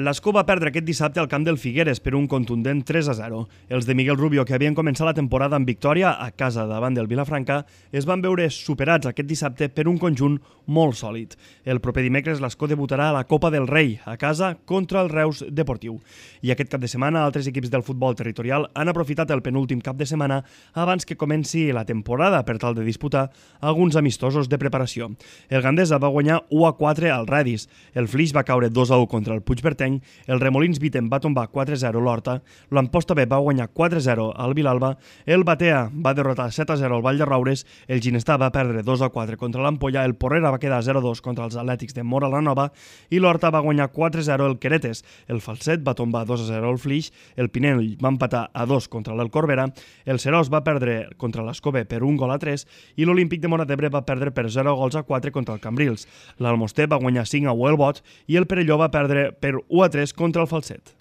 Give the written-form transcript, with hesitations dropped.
L'Escó va perdre aquest dissabte al camp del Figueres per un contundent 3-0. Els de Miguel Rubio, que havien començat la temporada amb victòria a casa davant del Vilafranca, es van veure superats aquest dissabte per un conjunt molt sòlid. El proper dimecres l'Escó debutarà a la Copa del Rei, a casa, contra el Reus Deportiu. I aquest cap de setmana, altres equips del futbol territorial han aprofitat el penúltim cap de setmana abans que comenci la temporada per tal de disputar alguns amistosos de preparació. El Gandesa va guanyar 1-4 al Radis, el Flix va caure 2-1 contra el Puigverd, el Remolins Viten va tombar 4-0 l'Horta, l'Amposta B va guanyar 4-0 al Vilalba, el Batea va derrotar 7-0 al Vall de Roures, el Ginestar va perdre 2-4 contra l'Ampolla, el Porrera va quedar 0-2 contra els Atlètics de Móra la Nova i l'Horta va guanyar 4-0 el Queretes, el Falset va tombar 2-0 al Flix, el Pinell va empatar a 2 contra l'El Corbera, el Serós va perdre contra l'Escobé per 1-3 i l'Olímpic de Móra d'Ebre va perdre per 0-4 contra el Cambrils. L'Almoster va guanyar 5-1 el Bot i el Perelló va perdre per 1-3 contra el Falset.